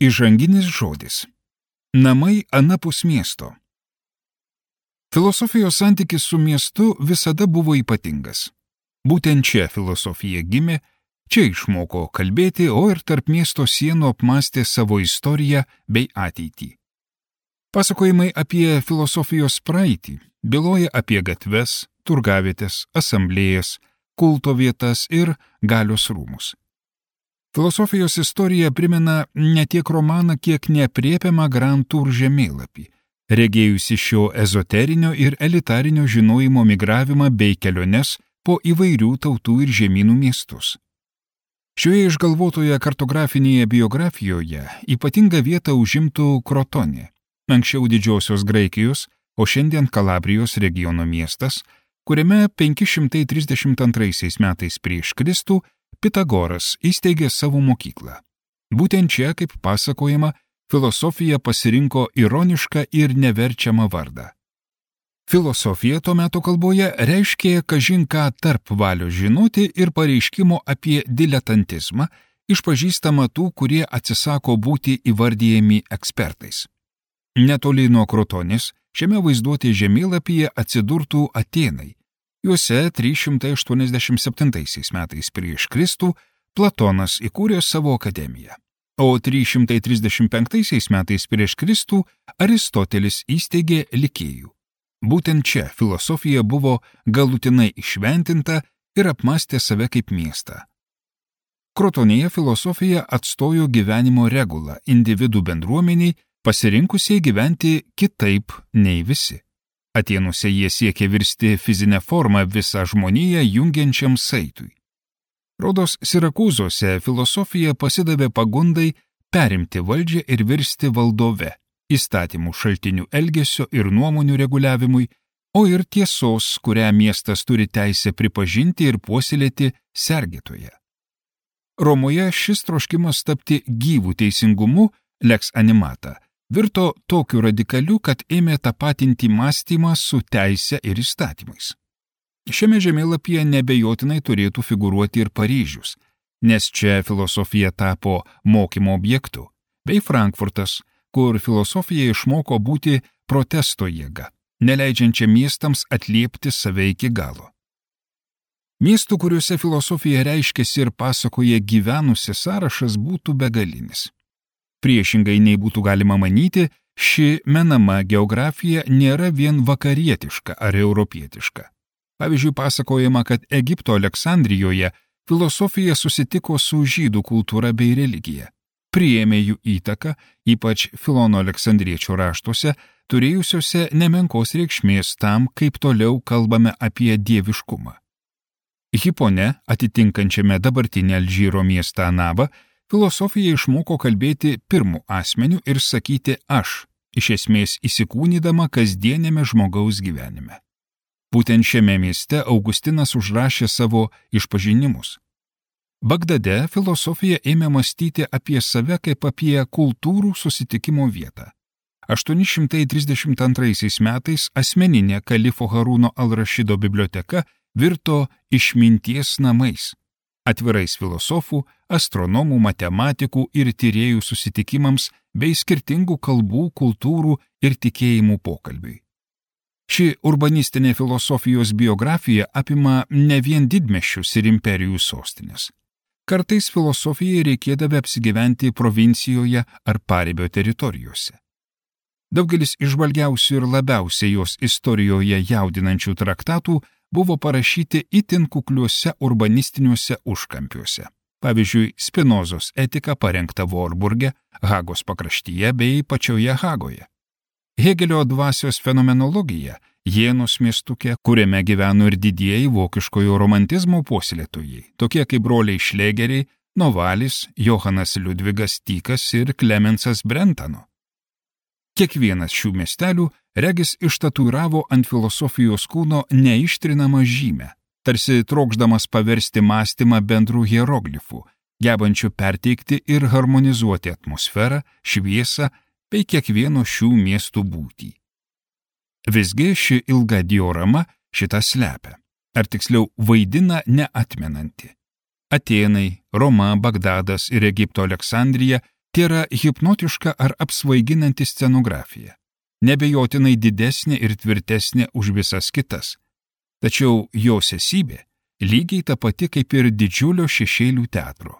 Įžanginis žodis. Namai anapus miesto. Filosofijos santykis su miestu visada buvo ypatingas. Būtent čia filosofija gimė, čia išmoko kalbėti, o ir tarp miesto sienų apmąstė savo istoriją bei ateitį. Pasakojimai apie filosofijos praeitį byloja apie gatves, turgavietės, asamblėjas, kulto vietas ir galios rūmus. Filosofijos istorija primena ne tiek romaną, kiek neaprėpiamą Grand Tour žemėlapį, regėjusi šio ezoterinio ir elitarinio žinojimo migravimą bei keliones po įvairių tautų ir žemynų miestus. Šioje išgalvotoje kartografinėje biografijoje ypatingą vietą užimtų Krotonė, anksčiau Didžiosios Graikijos, o šiandien Kalabrijos regiono miestas, kuriame 532 metais prieš Kristų Pitagoras įsteigė savo mokyklą. Būtent čia, kaip pasakojama, filosofija pasirinko ironišką ir neverčiamą vardą. Filosofija to meto kalboje reiškė kažin ką tarp valios žinoti ir pareiškimo apie diletantizmą, išpažįstamą tų, kurie atsisako būti įvardyjami ekspertais. Netoli nuo Krotonės šiame vaizduotės žemėlapyje atsidurtų Atėnai. Juose 387 metais prieš Kristų Platonas įkūrė savo akademiją, o 335 metais prieš Kristų Aristotelis įsteigė Likėjų. Būtent čia filosofija buvo galutinai išventinta ir apmąstė save kaip miestą. Krotonėje filosofija atstojo gyvenimo regulą individų bendruomeniai, pasirinkusiai gyventi kitaip nei visi. Atėnuose jie siekė virsti fizinę formą visą žmoniją jungiančiam saitui. Rodos Sirakūzuose filosofija pasidavė pagundai perimti valdžią ir virsti valdove, įstatymų šaltinių elgesio ir nuomonių reguliavimui, o ir tiesos, kurią miestas turi teisę pripažinti ir puoselėti sergėtoje. Romoje šis troškimas tapti gyvų teisingumu, lex animata, virto tokiu radikaliu, kad ėmė tapatinti mąstymą su teise ir įstatymais. Šiame žemėlapyje nebejotinai turėtų figūruoti ir Paryžius, nes čia filosofija tapo mokymo objektu, bei Frankfurtas, kur filosofija išmoko būti protesto jėga, neleidžiančia miestams atliepti save iki galo. Miestų, kuriuose filosofija reiškėsi ir pasakoja gyvenusi sąrašas būtų begalinis. Priešingai nei būtų galima manyti, ši menama geografija nėra vien vakarietiška ar europietiška. Pavyzdžiui, pasakojama, kad Egipto Aleksandrijoje filosofija susitiko su žydų kultūra bei religija, priėmė jų įtaką, ypač Filono Aleksandriečio raštuose, turėjusiuose nemenkos reikšmės tam, kaip toliau kalbame apie dieviškumą. Hipone, atitinkančiame dabartinę Alžyro miestą Anabą, filosofija išmoko kalbėti pirmu asmeniu ir sakyti aš, iš esmės įsikūnydama kasdienėme žmogaus gyvenime. Būtent šiame mieste Augustinas užrašė savo išpažinimus. Bagdade filosofija ėmė mąstyti apie save kaip apie kultūrų susitikimo vietą. 832 metais asmeninė kalifo Harūno al-Rašido biblioteka virto išminties namais, atvirais filosofų, astronomų, matematikų ir tyrėjų susitikimams bei skirtingų kalbų, kultūrų ir tikėjimų pokalbiui. Ši urbanistinė filosofijos biografija apima ne vien didmiesčius ir imperijų sostinės. Kartais filosofijai reikėdavo apsigyventi provincijoje ar paribio teritorijose. Daugelis išvalgiausių ir labiausiai jos istorijoje jaudinančių traktatų buvo parašyti itin kukliuose urbanistiniuose užkampiuose. Pavyzdžiui, Spinozos etika parengta Vorburge, Hagos pakraštyje bei pačioje Hagoje. Hegelio dvasios fenomenologija Jėnos miestuke, kuriame gyveno ir didieji vokiškojo romantizmo puoselėtojai, tokie kaip broliai Šlegeriai, Novalis, Johanas Liudvigas Tykas ir Klemensas Brentano. Kiekvienas šių miestelių regis ištatuiravo ant filosofijos kūno neištrinamą žymę, tarsi trokšdamas paversti mąstymą bendrų hieroglifų, gebančių perteikti ir harmonizuoti atmosferą, šviesą bei kiekvieno šių miestų būtį. Visgi ši ilga diorama šitą slepia, ar tiksliau vaidina neatmenanti. Atėnai, Roma, Bagdadas ir Egipto Aleksandrija Tai yra hipnotiška ar apsvaiginanti scenografija, nebejotinai didesnė ir tvirtesnė už visas kitas. Tačiau jos esybė lygiai ta pati kaip ir didžiulio šešėlių teatro.